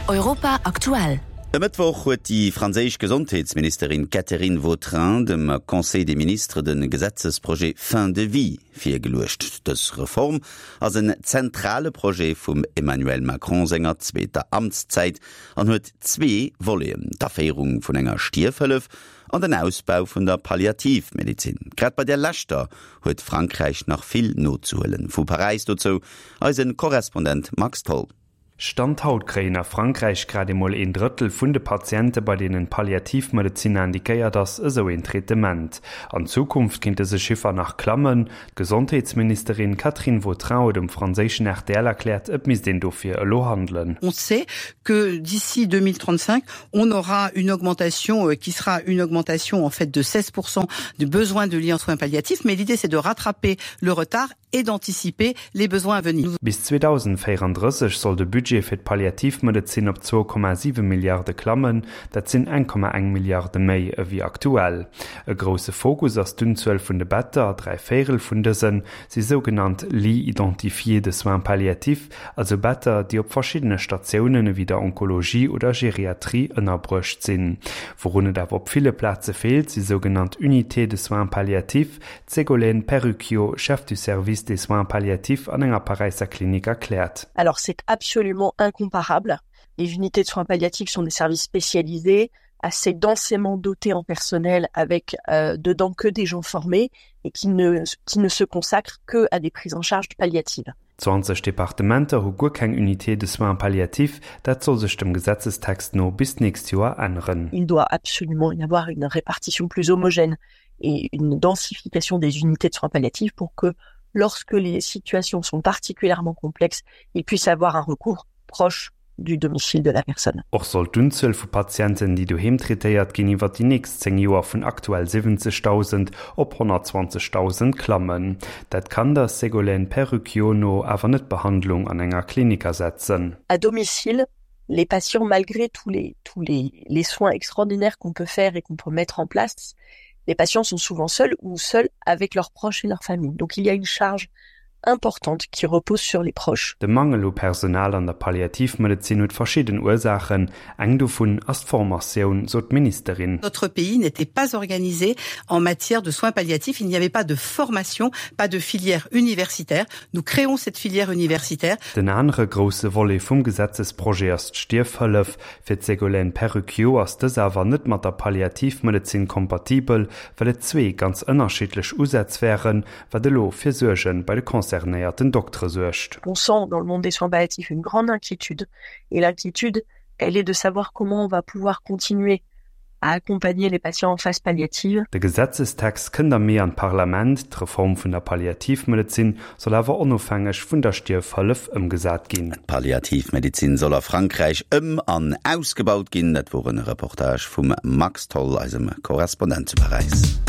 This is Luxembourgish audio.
Europa aktuell. E Mëttwoch huet déi franséisch Gesondheetsministerin Catherine Vautrin dem Conseil des ministres de Gesetzesprojet Fin de vie virgeluecht. Dës Reform ass en zentrale Projet vum Emmanuel Macron senger zweeter Amtszäit an huet zwee Voleten, d'Aféierung vun enger Stierfhëllef an den Ausbau vun der Palliativmedezin. Grad bei där leschter huet Frankräich nach vill nozehuelen. Vu Paräis dozou eise Korrespondent Max Tholl. Stand haut kréien a Frankräich grad emol een Drëttel vun de Patiente bei deenen d'Palliativmedezin indiquéiert ass, esou een Traitement. An Zukunft kéint dëse Chiffer nach klammen. D'Gesondheetsministerin Catherine Vautrin huet um franséischen rtl erkläert, et misst een dofir elo handelen. On sait que d'ici 2035, on aura une augmentation qui sera une augmentation en fait de 16 du besoin de lits en soins palliatifs, mais l'idée c'est de rattraper le retard et d'anticiper les besoins à venir. Bis 2034 soll de Budget fir d'Palliativmedezin op 2,7 Milliarde klammen, dat sinn 1,1 Milliarde méi ewéi aktuell. E grousse Fokus ass d'Unzuel vun de Better, 3 Véirel vun dëse si sougenannt Lits identifiés de soins palliatifs, also Better, déi op verschiddene Statiounen ewéi der Onkologie oder Geriatrie ënnerbruecht sinn. Wourun et awer op ville Plaze feelt, si sougenannt Unités de soins palliatifs, D'Ségolène Perucchio, Chef du service des soins palliatifs an enger Paräisser Klinik erkläert. Alors c'est absolument incomparable. Les unités de soins palliatifs sont des services spécialisés, assez densément dotés en personnel avec euh, dedans que des gens formés et qui ne, qui ne se consacrent que à des prises en charge palliatives. 20 Departementer hu guer keng Unité de soins palliatifs, dat soll sech dem Gesetzestext no bis d'nächst Joer änneren. Il doit absolument y avoir une répartition plus homogène et une densification des unités de soins palliatifs pour que lorsque les situations sont particulièrement complexes, il puisse avoir un recours proche du domicile de la personne. Och soll d'Unzuel vu Patienten, déi doheem traitéiert ginn, iwwer déi nächst 10 Joer vun aktuell 70.000 op 120.000 klammen. Dat kann der Ségolène Perucchio no awer net d'Behandlung an enger Klinik ersetzen. À domicile, les patients, malgré tous les, tous les, les soins extraordinaires qu'on peut faire et qu'on peut mettre en place, les patients sont souvent seuls ou seuls avec leurs proches et leur famille. Donc il y a une charge importante qui repose sur les proches. De Mangel u Personal an der Palliativmedezin huet verschidden Ursaachen. Eng dovun ass d'Formatioun, sot d'Ministerin. Notre pays n'était pas organisé en matière de soins palliatifs. Il n'y avait pas de formation, pas de filière universitaire. Nous créons cette filière universitaire. Den anere grousse Volet vum Gesetzesprojet ass d'Stierfhëllef. Fir d'Ségolène Perucchio ass dës awer net mat der Palliativmedezin kompatibel, well et zwee ganz ënnerschiddlech Usätz wären, wat elo fir Suerge bei de concernéierten Doktere suergt. On sent dans le monde des soins palliatifs une grande inquiétude et l'inquiétude, elle est de savoir comment on va pouvoir continuer à accompagner les patients en phase palliative. De Gesetzestext kënnt am Mee an d'Parlament. D'Reform vun der Palliativmedezin soll awer onofhängeg vun der Stierfhëllef ëmgesat ginn. D'Palliativmedezin soll a Frankräich ëm an ausgebaut ginn. Dat wor en Reportage vum Max Tholl, eisem Korrespondent zu Paräis.